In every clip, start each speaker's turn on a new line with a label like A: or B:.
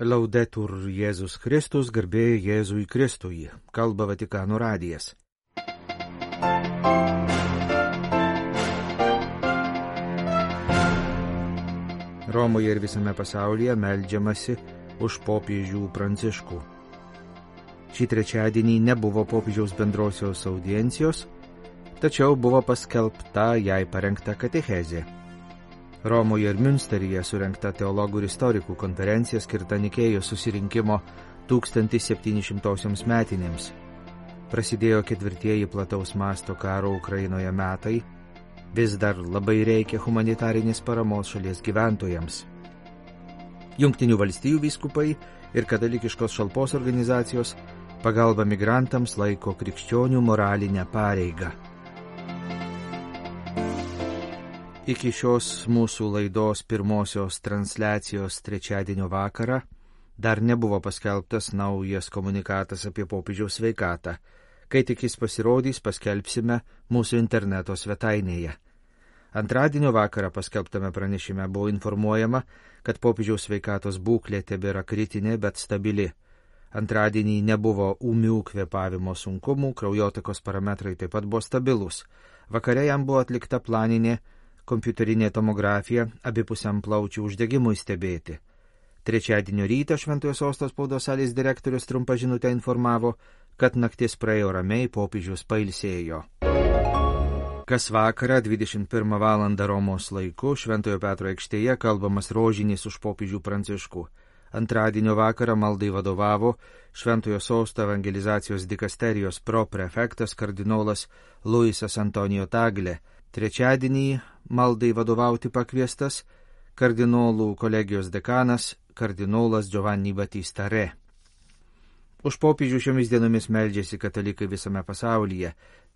A: Laudetur Jėzus Kristus, garbė Jėzui Kristui, kalba Vatikano radijas. Romoje ir visame pasaulyje meldžiamasi už popiežių Pranciškų. Šį trečiadienį nebuvo popiežiaus bendrosios audiencijos, tačiau buvo paskelbta jai parengta katechezė. Romoje ir Münsteryje surengta teologų ir istorikų konferencija skirta Nikėjos susirinkimo 1700 metinėms. Prasidėjo ketvirtieji plataus masto karo Ukrainoje metai, vis dar labai reikia humanitarinės paramos šalies gyventojams. Jungtinių valstijų vyskupai ir katalikiškos šalpos organizacijos pagalba migrantams laiko krikščionių moralinę pareigą. Iki šios mūsų laidos pirmosios transliacijos trečiadienio vakarą dar nebuvo paskelbtas naujas komunikatas apie popiežiaus sveikatą. Kai tik jis pasirodys, paskelbsime mūsų interneto svetainėje. Antradienio vakarą paskelbtame pranešime buvo informuojama, kad popiežiaus sveikatos būklė tebėra kritinė, bet stabili. Antradienį nebuvo ūmių kvėpavimo sunkumų, kraujotakos parametrai taip pat buvo stabilus. Vakare jam buvo atlikta planinė kompiuterinė tomografija abipusiam plaučių uždegimui stebėti. Trečiadienio rytą Šventojo Sosto spaudos salės direktorius trumpa žinutę informavo, kad naktis praėjo ramiai, popiežius pailsėjo. Kas vakarą 21 val. Romos laiku Šventojo Petro aikštėje kalbamas rožinis už popiežių Pranciškų. Antradienio vakarą maldai vadovavo Šventojo Sosto evangelizacijos dikasterijos proprefektas kardinolas Luisas Antonijo Tagle. Trečiadienį maldai vadovauti pakviestas kardinolų kolegijos dekanas kardinolas Giovanni Battista Re. Už popiežių šiomis dienomis meldžiasi katalikai visame pasaulyje,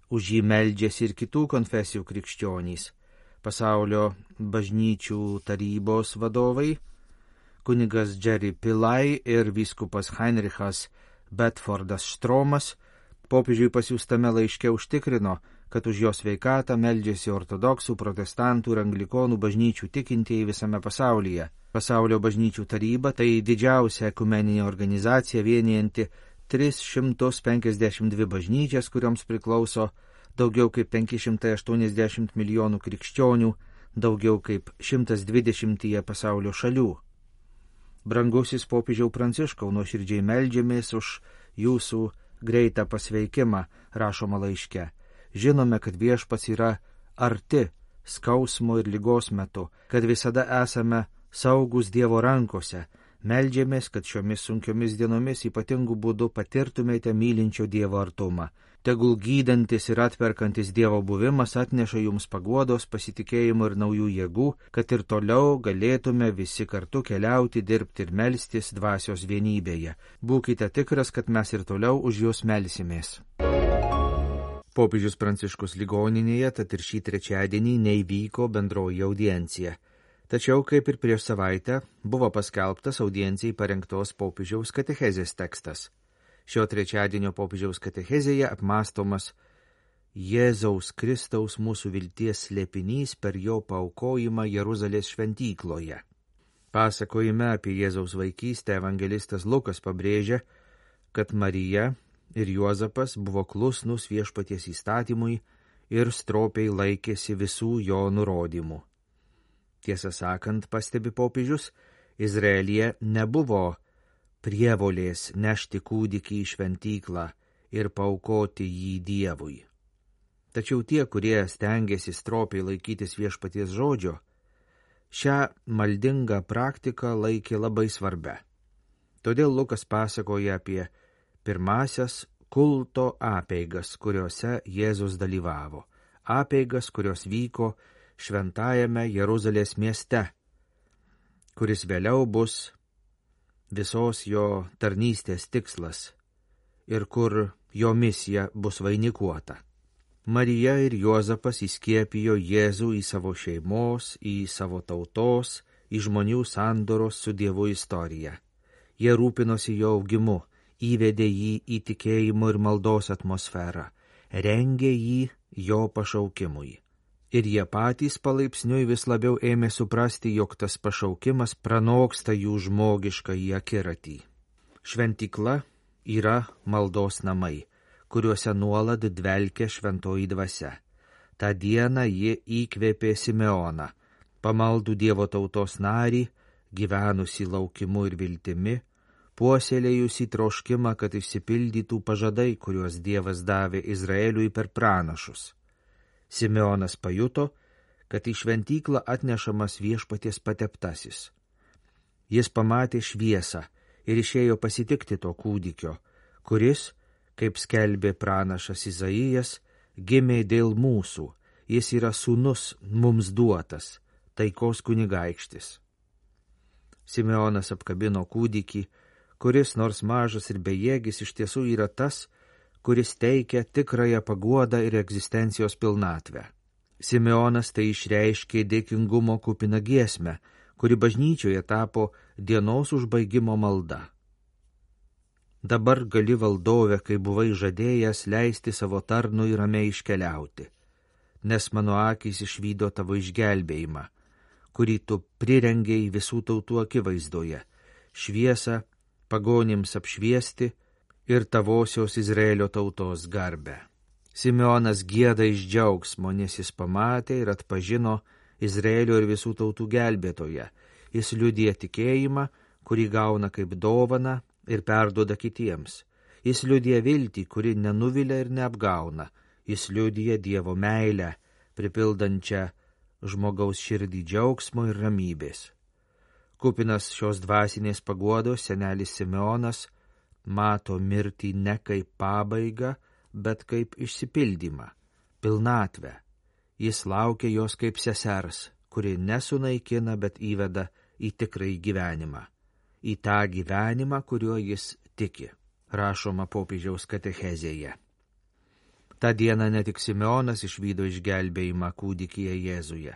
A: už jį meldžiasi ir kitų konfesijų krikščionys. Pasaulio bažnyčių tarybos vadovai, kunigas Jerry Pillai ir vyskupas Heinrichas Bedfordas Štromas, popiežiui pasiųstame laiške užtikrino, kad už jo sveikatą meldžiasi ortodoksų, protestantų ir anglikonų bažnyčių tikintieji visame pasaulyje. Pasaulio bažnyčių taryba tai didžiausia ekumeninė organizacija vienijanti 352 bažnyčias, kurioms priklauso daugiau kaip 580 milijonų krikščionių, daugiau kaip 120 pasaulio šalių. Brangusis popiežiau Pranciškau, nuoširdžiai meldžiamės už jūsų greitą pasveikimą, rašoma laiške. Žinome, kad Viešpats yra arti skausmo ir ligos metu, kad visada esame saugus Dievo rankose. Meldžiamės, kad šiomis sunkiomis dienomis ypatingų būdų patirtumėte mylinčio Dievo artumą. Tegul gydantis ir atperkantis Dievo buvimas atneša jums paguodos, pasitikėjimo ir naujų jėgų, kad ir toliau galėtume visi kartu keliauti, dirbti ir melstis dvasios vienybėje. Būkite tikras, kad mes ir toliau už jūs melsimės. Popiežius Pranciškus ligoninėje, tad ir šį trečiadienį neįvyko bendroji audiencija. Tačiau, kaip ir prieš savaitę, buvo paskelbtas audiencijai parengtos popiežiaus katechezės tekstas. Šio trečiadienio popiežiaus katechezėje apmąstomas Jėzaus Kristaus mūsų vilties slėpinys per jo paaukojimą Jeruzalės šventykloje. Pasakojime apie Jėzaus vaikystę evangelistas Lukas pabrėžia, kad Marija ir Juozapas buvo klusnus Viešpaties įstatymui ir stropiai laikėsi visų jo nurodymų. Tiesą sakant, pastebi popiežius, Izraelyje nebuvo prievolės nešti kūdikį į šventyklą ir paaukoti jį Dievui. Tačiau tie, kurie stengiasi stropiai laikytis Viešpaties žodžio, šią maldingą praktiką laikė labai svarbia. Todėl Lukas pasakoja apie pirmasias kulto apeigas, kuriuose Jėzus dalyvavo. Apeigas, kurios vyko šventajame Jeruzalės mieste, kuris vėliau bus visos jo tarnystės tikslas ir kur jo misija bus vainikuota. Marija ir Juozapas įskiepijo Jėzų į savo šeimos, į savo tautos, į žmonių sandoros su Dievu istoriją. Jie rūpinosi jo augimu, įvedė jį į tikėjimo ir maldos atmosferą, rengė jį jo pašaukimui. Ir jie patys palaipsniui vis labiau ėmė suprasti, jog tas pašaukimas pranoksta jų žmogišką į akiratį. Šventykla yra maldos namai, kuriuose nuolat dvelkia šventoji dvasia. Ta diena ji įkvėpė Simeoną, pamaldų Dievo tautos narį, gyvenusi laukimu ir viltimi, puoselėjusi troškimą, kad išsipildytų pažadai, kuriuos Dievas davė Izraeliui per pranašus. Simeonas pajuto, kad į šventyklą atnešamas Viešpaties pateptasis. Jis pamatė šviesą ir išėjo pasitikti to kūdikio, kuris, kaip skelbė pranašas Izaijas, gimė dėl mūsų, jis yra sūnus mums duotas, taikos kunigaikštis. Simeonas apkabino kūdikį, kuris nors mažas ir bejėgis iš tiesų yra tas, kuris teikia tikrąją paguodą ir egzistencijos pilnatvę. Simeonas tai išreiškė dėkingumo kupiną giesmę, kuri bažnyčioje tapo dienos užbaigimo malda. Dabar gali valdove, kai buvai žadėjęs, leisti savo tarnui ramiai iškeliauti, nes mano akys išvydo tavo išgelbėjimą, kurį tu prirengei visų tautų akivaizdoje, šviesą pagonims apšviesti ir tavosios Izraelio tautos garbę. Simeonas gieda iš džiaugsmo, nes jis pamatė ir atpažino Izraelio ir visų tautų gelbėtoją. Jis liudija tikėjimą, kurį gauna kaip dovaną ir perduoda kitiems. Jis liudija viltį, kuri nenuvilia ir neapgauna. Jis liudija Dievo meilę, pripildančią žmogaus širdį džiaugsmo ir ramybės. Kupinas šios dvasinės paguodos senelis Simeonas mato mirtį ne kaip pabaigą, bet kaip išsipildymą, pilnatvę. Jis laukia jos kaip sesers, kuri nesunaikina, bet įveda į tikrąjį gyvenimą. Į tą gyvenimą, kuriuo jis tiki, rašoma popiežiaus katechezėje. Ta diena ne tik Simeonas išvydo išgelbėjimą kūdikyje Jėzuje.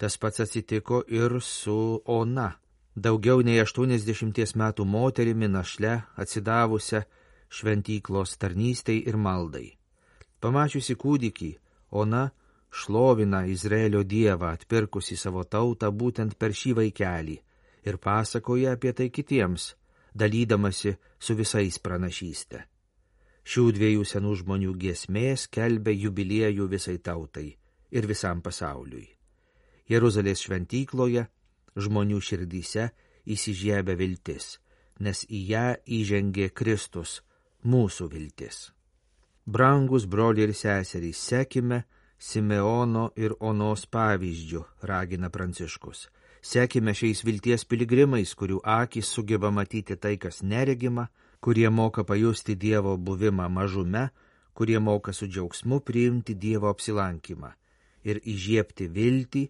A: Tas pats atsitiko ir su Ona, daugiau nei 80 metų moterimi našle atsidavusią šventyklos tarnystei ir maldai. Pamačiusi kūdikį, Ona šlovina Izraelio Dievą, atpirkusi savo tautą būtent per šį vaikelį, ir pasakoja apie tai kitiems, dalydamasi su visais pranašystę. Šių dviejų senų žmonių giesmė skelbia jubiliejų visai tautai ir visam pasauliui. Jeruzalės šventykloje žmonių širdyse įsižiebia viltis, nes į ją įžengė Kristus, mūsų viltis. Brangus broliai ir seserys, sekime Simeono ir Onos pavyzdžių, ragina Pranciškus. Sekime šiais vilties piligrimais, kurių akys sugeba matyti tai, kas neregima, kurie moka pajusti Dievo buvimą mažume, kurie moka su džiaugsmu priimti Dievo apsilankymą ir įžiebti viltį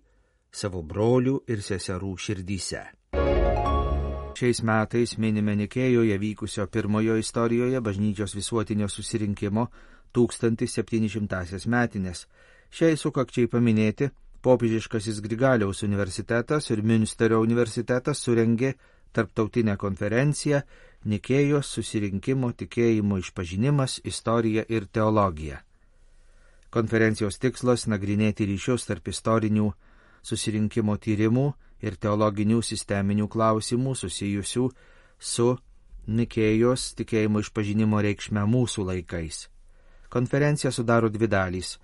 A: savo brolių ir seserų širdyse. Šiais metais minime Nikėjoje vykusio pirmojo istorijoje bažnyčios visuotinio susirinkimo 1700 metinės. Šiai sukakčiai paminėti popiežiškasis Grigaliaus universitetas ir Münsterio universitetas surengė tarptautinę konferenciją Nikėjos susirinkimo tikėjimo išpažinimas, istorija ir teologija. Konferencijos tikslas nagrinėti ryšius tarp istorinių susirinkimo tyrimų ir teologinių sisteminių klausimų susijusių su Nikėjos tikėjimo išpažinimo reikšme mūsų laikais. Konferencija sudaro dvi dalys.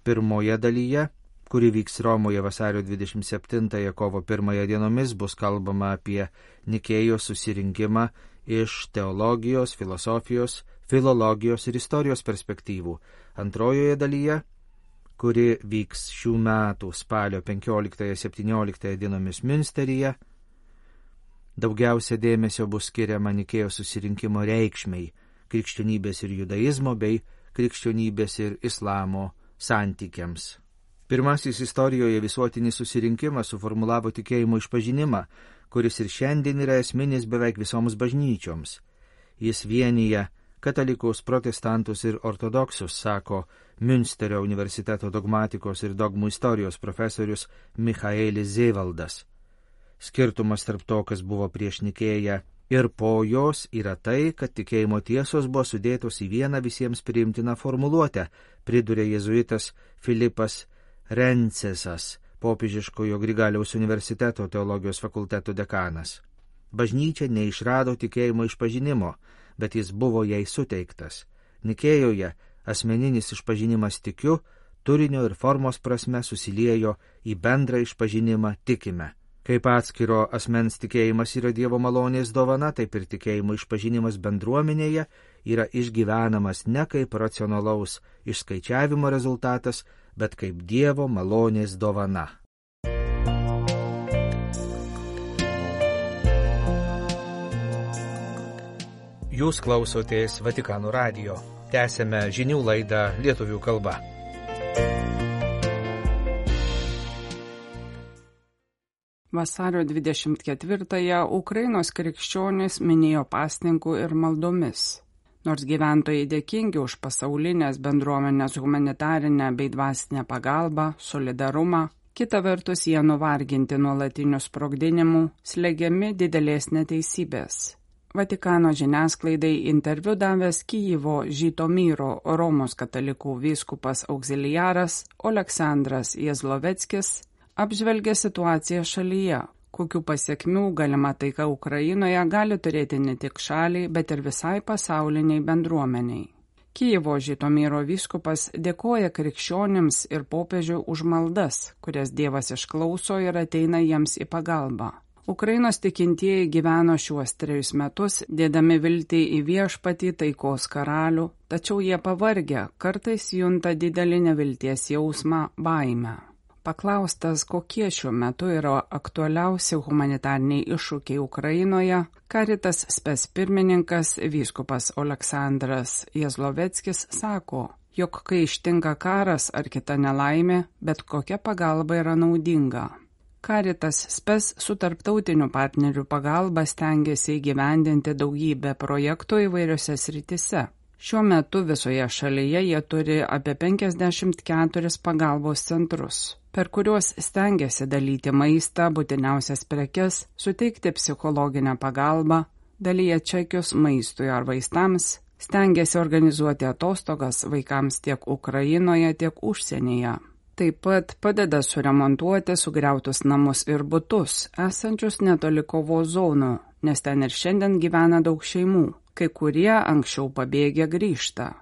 A: Pirmoje dalyje, kuri vyks Romoje vasario 27 kovo 1 dienomis, bus kalbama apie Nikėjos susirinkimą iš teologijos, filosofijos, filologijos ir istorijos perspektyvų. Antrojoje dalyje, kuri vyks šių metų spalio 15-17 dienomis Münsteryje, daugiausia dėmesio bus skiriama Nikėjos susirinkimo reikšmei, krikščionybės ir judaizmo bei krikščionybės ir islamo santykiams. Pirmasis istorijoje visuotinis susirinkimas suformulavo tikėjimo išpažinimą, kuris ir šiandien yra esminis beveik visoms bažnyčioms. Jis vienyje katalikus, protestantus ir ortodoksus, sako Münsterio universiteto dogmatikos ir dogmų istorijos profesorius Michaelis Zevaldas. Skirtumas tarp to, kas buvo prieš Nikėją ir po jos, yra tai, kad tikėjimo tiesos buvo sudėtos į vieną visiems priimtiną formuluotę, priduria jėzuitas Filipas Rencisas, popiežiškojo Grigaliaus universiteto teologijos fakulteto dekanas. Bažnyčia neišrado tikėjimo išpažinimo, bet jis buvo jai suteiktas. Nikėjoje asmeninis išpažinimas tikiu, turinio ir formos prasme susiliejo į bendrą išpažinimą tikime. Kaip atskiro asmens tikėjimas yra Dievo malonės dovana, taip ir tikėjimo išpažinimas bendruomenėje yra išgyvenamas ne kaip racionalaus išskaičiavimo rezultatas, bet kaip Dievo malonės dovana. Jūs klausotės Vatikano radijo. Tęsėme žinių laidą lietuvių kalba.
B: Vasario 24-ąją Ukrainos krikščionys minėjo pasninkų ir maldomis. Nors gyventojai dėkingi už pasaulinės bendruomenės humanitarinę bei dvasinę pagalbą, solidarumą, kita vertus jie nuvarginti nuolatinių sprogdinimų, slegiami didelės neteisybės. Vatikano žiniasklaidai interviu davęs Kijevo Žytomyro Romos katalikų vyskupas auxiliaras Oleksandras Jezloveckis apžvelgia situaciją šalyje, kokių pasiekmių galima taika Ukrainoje gali turėti ne tik šaliai, bet ir visai pasauliniai bendruomeniai. Kijevo Žytomyro vyskupas dėkoja krikščionims ir popiežiui už maldas, kurias Dievas išklauso ir ateina jiems į pagalbą. Ukrainos tikintieji gyveno šiuos 3 metus, dėdami viltį į viešpatį taikos karalių, tačiau jie pavargę, kartais junta didelį nevilties jausmą, baimę. Paklaustas, kokie šiuo metu yra aktualiausi humanitariniai iššūkiai Ukrainoje, Caritas spes pirmininkas vyskupas Oleksandras Jezloveckis sako, jog kai ištinka karas ar kita nelaimė, bet kokia pagalba yra naudinga. Caritas spes su tarptautinių partnerių pagalba stengiasi įgyvendinti daugybę projektų įvairiose srityse. Šiuo metu visoje šalyje jie turi apie 54 pagalbos centrus, per kuriuos stengiasi dalyti maistą, būtiniausias prekes, suteikti psichologinę pagalbą, dalyja čekius maistui ar vaistams, stengiasi organizuoti atostogas vaikams tiek Ukrainoje, tiek užsienyje. Taip pat padeda suremontuoti sugriautus namus ir butus, esančius netoli kovos zonų, nes ten ir šiandien gyvena daug šeimų. Kai kurie anksčiau pabėgę grįžta.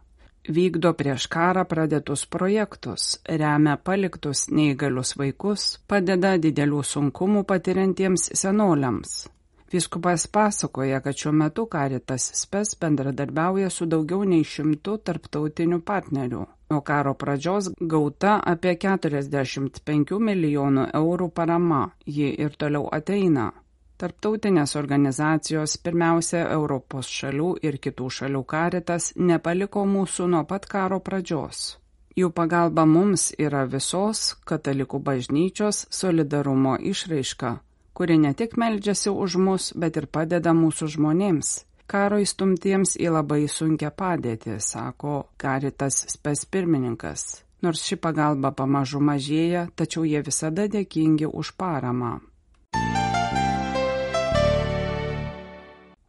B: Vykdo prieš karą pradėtus projektus, remia paliktus neįgalius vaikus, padeda didelių sunkumų patiriantiems senoliams. Vyskupas pasakoja, kad šiuo metu Caritas spes bendradarbiauja su daugiau nei 100 tarptautinių partnerių. Nuo karo pradžios gauta apie 45 milijonų eurų parama, ji ir toliau ateina. Tarptautinės organizacijos, pirmiausia Europos šalių ir kitų šalių Caritas, nepaliko mūsų nuo pat karo pradžios. Jų pagalba mums yra visos katalikų bažnyčios solidarumo išraiška, kuri ne tik meldžiasi už mus, bet ir padeda mūsų žmonėms, karo įstumtiems į labai sunkią padėtį, sako Caritas spes pirmininkas. Nors ši pagalba pamažu mažėja, tačiau jie visada dėkingi už paramą.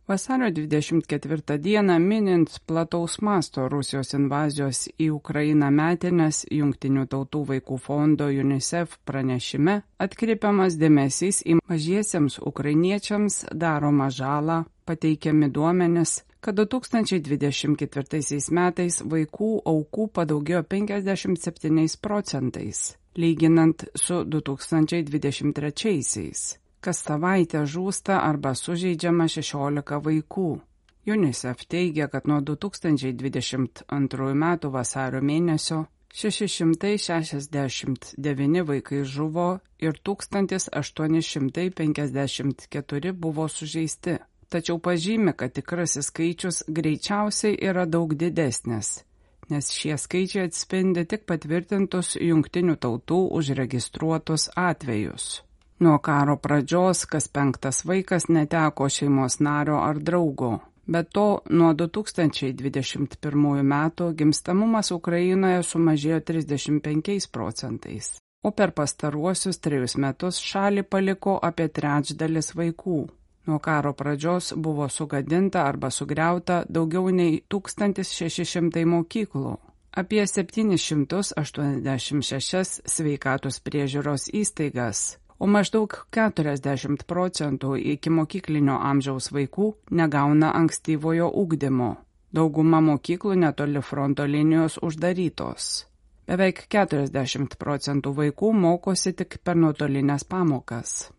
B: Vasario 24 dieną minint plataus masto Rusijos invazijos į Ukrainą metines Jungtinių tautų vaikų fondo UNICEF pranešime atkreipiamas dėmesys į mažiesiems ukrainiečiams daromą žalą, pateikiami duomenis, kad 2024 metais vaikų aukų padaugėjo 57%, lyginant su 2023. Kas savaitę žūsta arba sužeidžiama 16 vaikų. UNICEF teigia, kad nuo 2022 metų vasario mėnesio 669 vaikai žuvo ir 1854 buvo sužeisti. Tačiau pažymi, kad tikrasis skaičius greičiausiai yra daug didesnis, nes šie skaičiai atspindi tik patvirtintus Jungtinių tautų užregistruotus atvejus. Nuo karo pradžios kas 5 vaikas neteko šeimos nario ar draugo. Be to, nuo 2021 metų gimstamumas Ukrainoje sumažėjo 35%, o per pastaruosius 3 metus šalį paliko apie 1/3 vaikų. Nuo karo pradžios buvo sugadinta arba sugriauta daugiau nei 1600 mokyklų. apie 786 sveikatos priežiūros įstaigas, o maždaug 40% ikimokyklinio amžiaus vaikų negauna ankstyvojo ugdymo. Dauguma mokyklų netoli fronto linijos uždarytos. Beveik 40% vaikų mokosi tik per nuotolinės pamokas.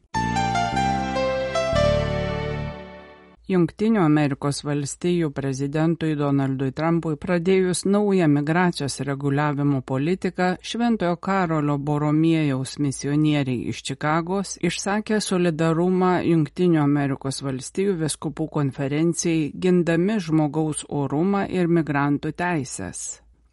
B: Jungtinių Amerikos valstijų prezidentui Donaldui Trumpui pradėjus naują migracijos reguliavimo politiką, Šventojo Karolio Boromiejaus misionieriai iš Čikagos išsakė solidarumą Jungtinių Amerikos valstijų vyskupų konferencijai gindami žmogaus orumą ir migrantų teisės.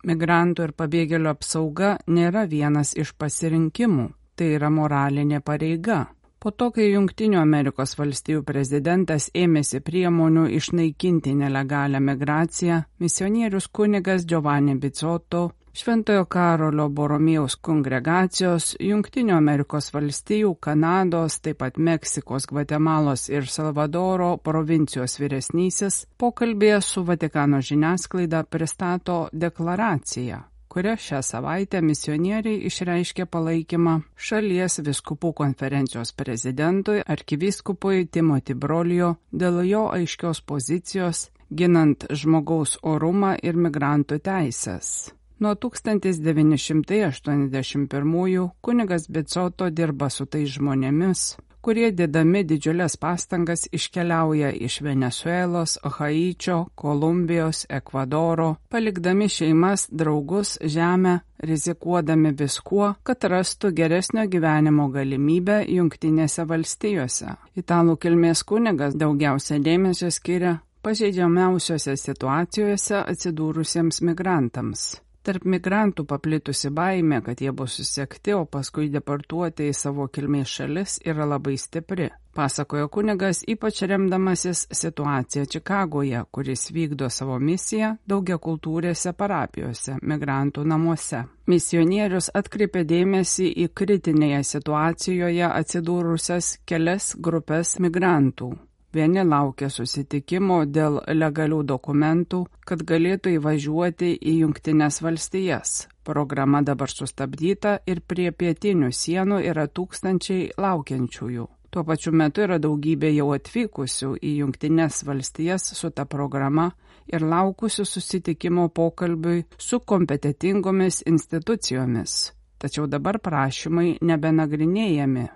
B: Migrantų ir pabėgėlių apsauga nėra vienas iš pasirinkimų, tai yra moralinė pareiga. Po to, kai Jungtinių Amerikos valstijų prezidentas ėmėsi priemonių išnaikinti nelegalią migraciją, misionierius kunigas Giovanni Bizzotto, Šventojo Karolio Boromiejaus kongregacijos, Jungtinių Amerikos valstijų, Kanados, taip pat Meksikos, Gvatemalos ir Salvadoro provincijos vyresnysis pokalbėje su Vatikano žiniasklaida pristato deklaraciją, kuria šią savaitę misionieriai išreiškė palaikymą šalies vyskupų konferencijos prezidentui arkivyskupui Timothy Broglio dėl jo aiškios pozicijos ginant žmogaus orumą ir migrantų teisės. Nuo 1981 kunigas Bizzotto dirba su tais žmonėmis, kurie dėdami didžiulės pastangas iškeliauja iš Venesuelos, Haičio, Kolumbijos, Ekvadoro, palikdami šeimas, draugus, žemę, rizikuodami viskuo, kad rastų geresnio gyvenimo galimybę Jungtinėse valstijose. Italų kilmės kunigas daugiausia dėmesio skiria pažeidžiamiausiose situacijose atsidūrusiems migrantams. Tarp migrantų paplitusi baimė, kad jie bus susekti, o paskui deportuoti į savo kilmės šalis, yra labai stipri, pasakojo kunigas, ypač remdamasis situaciją Čikagoje, kuris vykdo savo misiją daugiakultūrėse parapijose, migrantų namuose. Misionierius atkreipė dėmesį į kritinėje situacijoje atsidūrusias kelias grupės migrantų. Vieni laukia susitikimo dėl legalių dokumentų, kad galėtų įvažiuoti į Jungtines valstijas. Programa dabar sustabdyta ir prie pietinių sienų yra tūkstančiai laukiančiųjų. Tuo pačiu metu yra daugybė jau atvykusių į Jungtines valstijas su ta programa ir laukusių susitikimo pokalbiui su kompetitingomis institucijomis. Tačiau dabar prašymai nebenagrinėjami.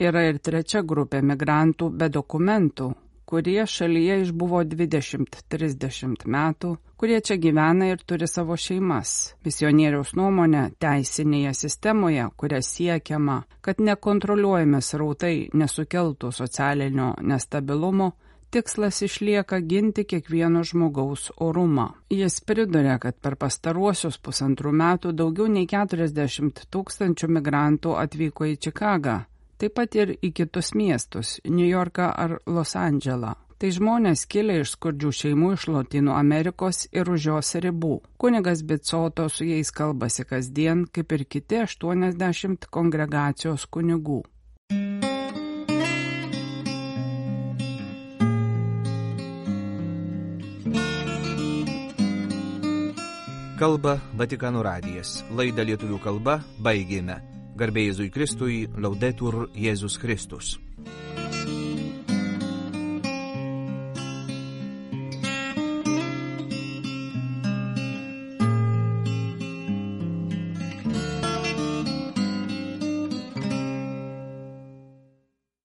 B: Yra ir trečia grupė migrantų be dokumentų, kurie šalyje išbuvo 20-30 metų, kurie čia gyvena ir turi savo šeimas. Misionieriaus nuomonė, teisinėje sistemoje, kuria siekiama, kad nekontroliuojami srautai nesukeltų socialinio nestabilumo, tikslas išlieka ginti kiekvieno žmogaus orumą. Jis priduria, kad per pastaruosius 1,5 metų daugiau nei 40 000 migrantų atvyko į Čikagą, taip pat ir į kitus miestus – Niujorką ar Los Andželą. Tai žmonės kilę iš skurdžių šeimų iš Lotynų Amerikos ir už jos ribų. Kunigas Bizzotto su jais kalbasi kasdien, kaip ir kiti 80 kongregacijos kunigų.
A: Kalba Vatikano radijas. Laidą lietuvių kalba baigėme. Garbė Jėzui Kristui, Laudetur Jėzus Kristus.